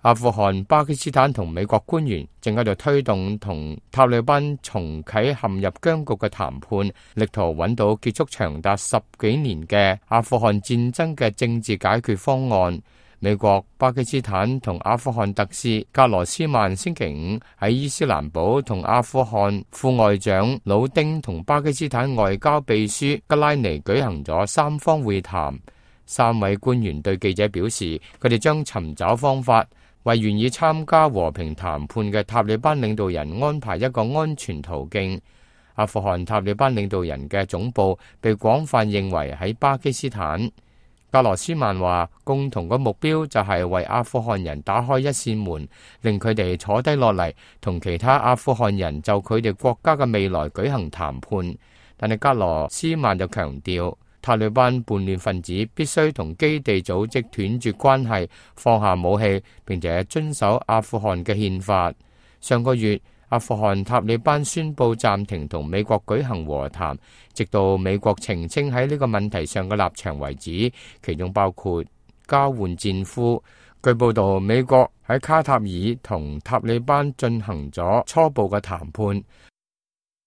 阿富汗、巴基斯坦同美國官員正喺度推動同塔利班重啟陷入僵局嘅談判，力圖揾到結束長達10幾年嘅阿富汗戰爭嘅政治解決方案。美國、巴基斯坦同阿富汗特使格羅斯曼星期五喺伊斯蘭堡同阿富汗副外長魯丁同巴基斯坦外交秘書吉拉尼舉行咗三方會談。三位官員對記者表示，佢哋將尋找方法，為願意參加和平談判嘅塔利班領導人安排一個安全途徑。阿富汗塔利班領導人嘅總部被廣泛認為喺巴基斯坦。格羅斯曼話，共同嘅目標就係為阿富汗人打開一扇門，令佢哋坐低落嚟，同其他阿富汗人就佢哋國家嘅未來舉行談判。但係格羅斯曼就強調，塔利班叛亂分子必須同基地組織斷絕關係，放下武器，並且遵守阿富汗嘅憲法。上個月，阿富汗塔利班宣布暫停同美國舉行和談，直到美國澄清喺呢個問題上嘅立場為止，其中包括交換戰俘。據報道，美國喺卡塔爾同塔利班進行咗初步嘅談判，